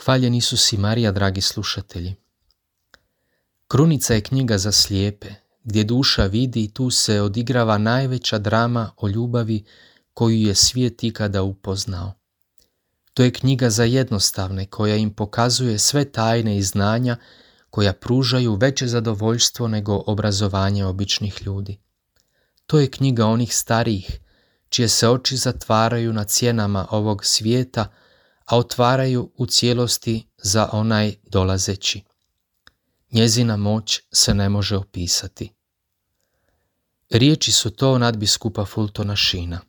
Hvaljen Isus i Marija, dragi slušatelji. Krunica je knjiga za slijepe, gdje duša vidi, tu se odigrava najveća drama o ljubavi koju je svijet ikada upoznao. To je knjiga za jednostavne, koja im pokazuje sve tajne i znanja koja pružaju veće zadovoljstvo nego obrazovanje običnih ljudi. To je knjiga onih starijih, čije se oči zatvaraju na cjenama ovog svijeta, a otvaraju u cijelosti za onaj dolazeći. Njezina moć se ne može opisati. Riječi su to nadbiskupa Fultona Sheena.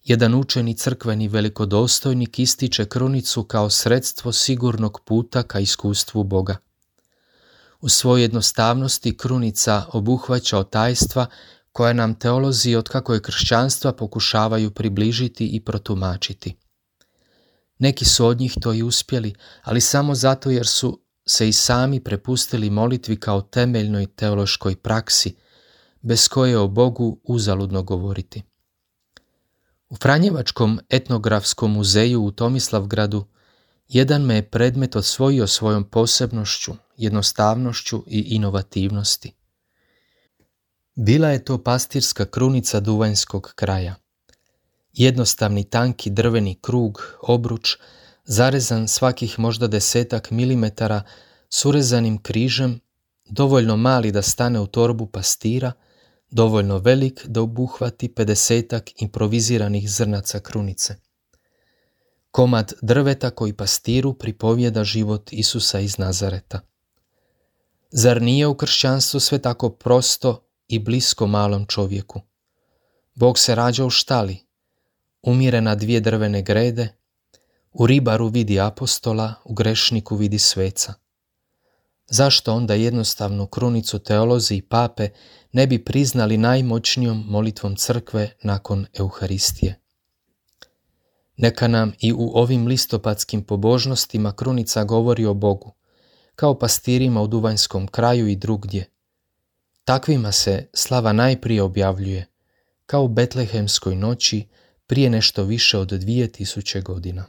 Jedan učeni crkveni velikodostojnik ističe krunicu kao sredstvo sigurnog puta ka iskustvu Boga. U svojoj jednostavnosti krunica obuhvaća tajstva koja nam teolozi od kako je kršćanstva pokušavaju približiti i protumačiti. Neki su od njih to i uspjeli, ali samo zato jer su se i sami prepustili molitvi kao temeljnoj teološkoj praksi, bez koje o Bogu uzaludno govoriti. U Franjevačkom etnografskom muzeju u Tomislavgradu jedan me je predmet osvojio svojom posebnošću, jednostavnošću i inovativnosti. Bila je to pastirska krunica duvanjskog kraja. Jednostavni tanki drveni krug, obruč, zarezan svakih možda 10 milimetara s urezanim križem, dovoljno mali da stane u torbu pastira, dovoljno velik da obuhvati 50 improviziranih zrnaca krunice. Komad drveta koji pastiru pripovijeda život Isusa iz Nazareta. Zar nije u kršćanstvu sve tako prosto i blisko malom čovjeku? Bog se rađa u štali, umire na 2 drvene grede, u ribaru vidi apostola, u grešniku vidi sveca. Zašto onda jednostavnu krunicu teolozi i pape ne bi priznali najmoćnijom molitvom crkve nakon Euharistije? Neka nam i u ovim listopadskim pobožnostima krunica govori o Bogu, kao pastirima u duvanjskom kraju i drugdje. Takvima se slava najprije objavljuje, kao u betlehemskoj noći prije nešto više od 2000 godina.